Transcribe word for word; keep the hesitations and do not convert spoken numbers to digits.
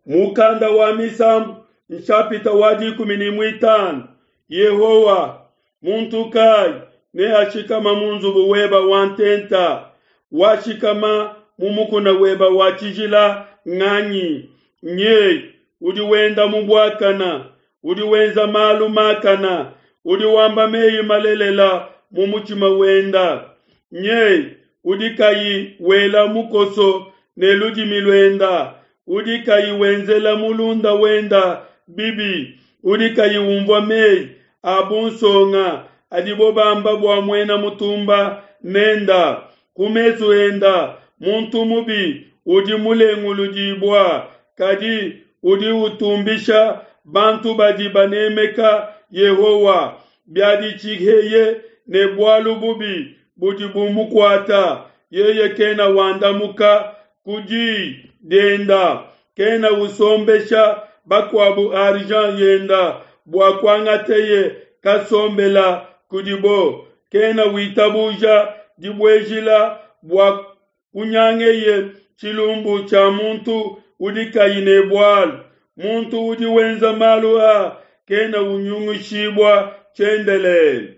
Mukanda wa Misambu nshapita wa dikumi ne muitanu Yehowa, muntu kayi neashikama mu nzubu weba wa ntenta? Washikama mu mukuna weba wa tshijila nganyi? Nyeye udi wenda mu buakana, udi wenza malu makana, udi wamba meyi malelela mu mutshima wenda. Nyeye udi kayi wela mukoso ne ludimi luenda, udi kayi wenzela mulunda wenda bibi, udi kayi umvua meyi a bunsonga adibo bamba bua muena mutumba nenda. Ku mesu enda muntu mubi udi mulenguludibua, kadi udi utumbisha bantu badi banemeka Yehowa. Biaditshiheye ne bualu bubi budi bumukuata, yeye kena wandamuka ku di dienda, kena usombesha bakuabu argent yenda bua kuangateye kasombela kudibo, kena witabuja dibuejila bua kunyangeye tshilumbu tshia muntu udi kayi ne bualu. Muntu udi wenza malu a kena unyungushibua tshiendelele.